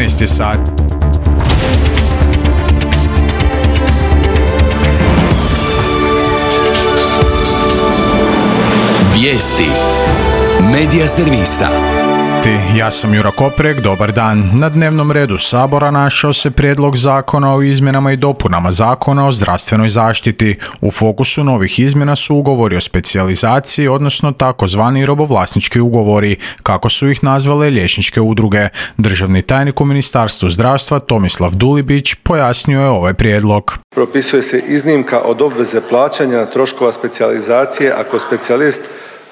13 je sat. Vijesti Medija servisa. Ja sam Jura Koprek, dobar dan. Na dnevnom redu Sabora našao se prijedlog zakona o izmjenama i dopunama Zakona o zdravstvenoj zaštiti. U fokusu novih izmjena su ugovori o specijalizaciji, odnosno takozvani robovlasnički ugovori, kako su ih nazvale liječničke udruge. Državni tajnik u Ministarstvu zdravstva Tomislav Dulibić pojasnio je ovaj prijedlog. Propisuje se iznimka od obveze plaćanja troškova specijalizacije ako specijalist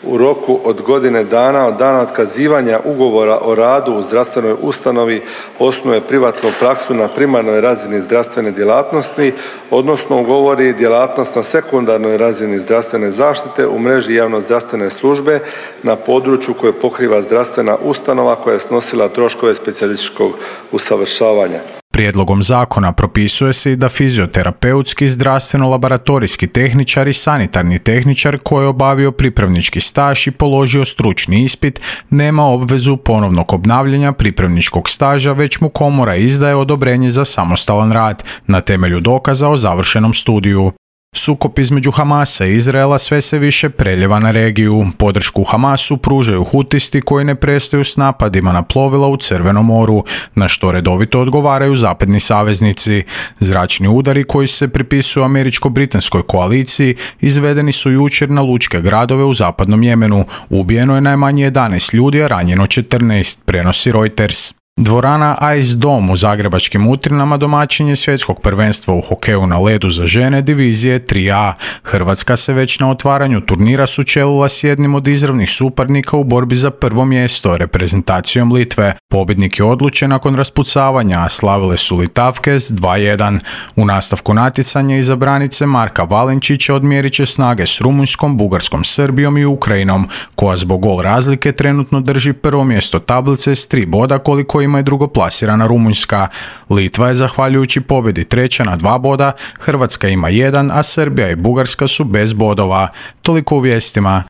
u roku od godine dana od dana otkazivanja ugovora o radu u zdravstvenoj ustanovi osnuje privatnu praksu na primarnoj razini zdravstvene djelatnosti, odnosno ugovori djelatnost na sekundarnoj razini zdravstvene zaštite u mreži javnozdravstvene službe na području koje pokriva zdravstvena ustanova koja je snosila troškove specijalističkog usavršavanja. Prijedlogom zakona propisuje se i da fizioterapeutski, zdravstveno-laboratorijski tehničar i sanitarni tehničar koji je obavio pripravnički staž i položio stručni ispit nema obvezu ponovnog obnavljanja pripravničkog staža, već mu komora izdaje odobrenje za samostalan rad na temelju dokaza o završenom studiju. Sukob između Hamasa i Izraela sve se više preljeva na regiju. Podršku Hamasu pružaju Hutisti koji ne prestaju s napadima na plovila u Crvenom moru, na što redovito odgovaraju zapadni saveznici. Zračni udari koji se pripisuju američko-britanskoj koaliciji izvedeni su jučer na lučke gradove u zapadnom Jemenu. Ubijeno je najmanje 11 ljudi, a ranjeno 14, prenosi Reuters. Dvorana Ice Dome u zagrebačkim Utrinama domaćin je svjetskog prvenstva u hokeju na ledu za žene divizije 3A. Hrvatska se već na otvaranju turnira sučelila s jednim od izravnih suparnika u borbi za prvo mjesto, reprezentacijom Litve. Pobjednik je odlučen nakon raspucavanja, a slavile su Litavke s 2:1. U nastavku natjecanja iza branice Marka Valenčića odmjerit će snage s Rumunjskom, Bugarskom, Srbijom i Ukrajinom, koja zbog gol razlike trenutno drži prvo mjesto tablice s 3 boda koliko ima i drugoplasirana Rumunjska. Litva je zahvaljujući pobjedi treća na 2 boda, Hrvatska ima 1, a Srbija i Bugarska su bez bodova. Toliko u vijestima.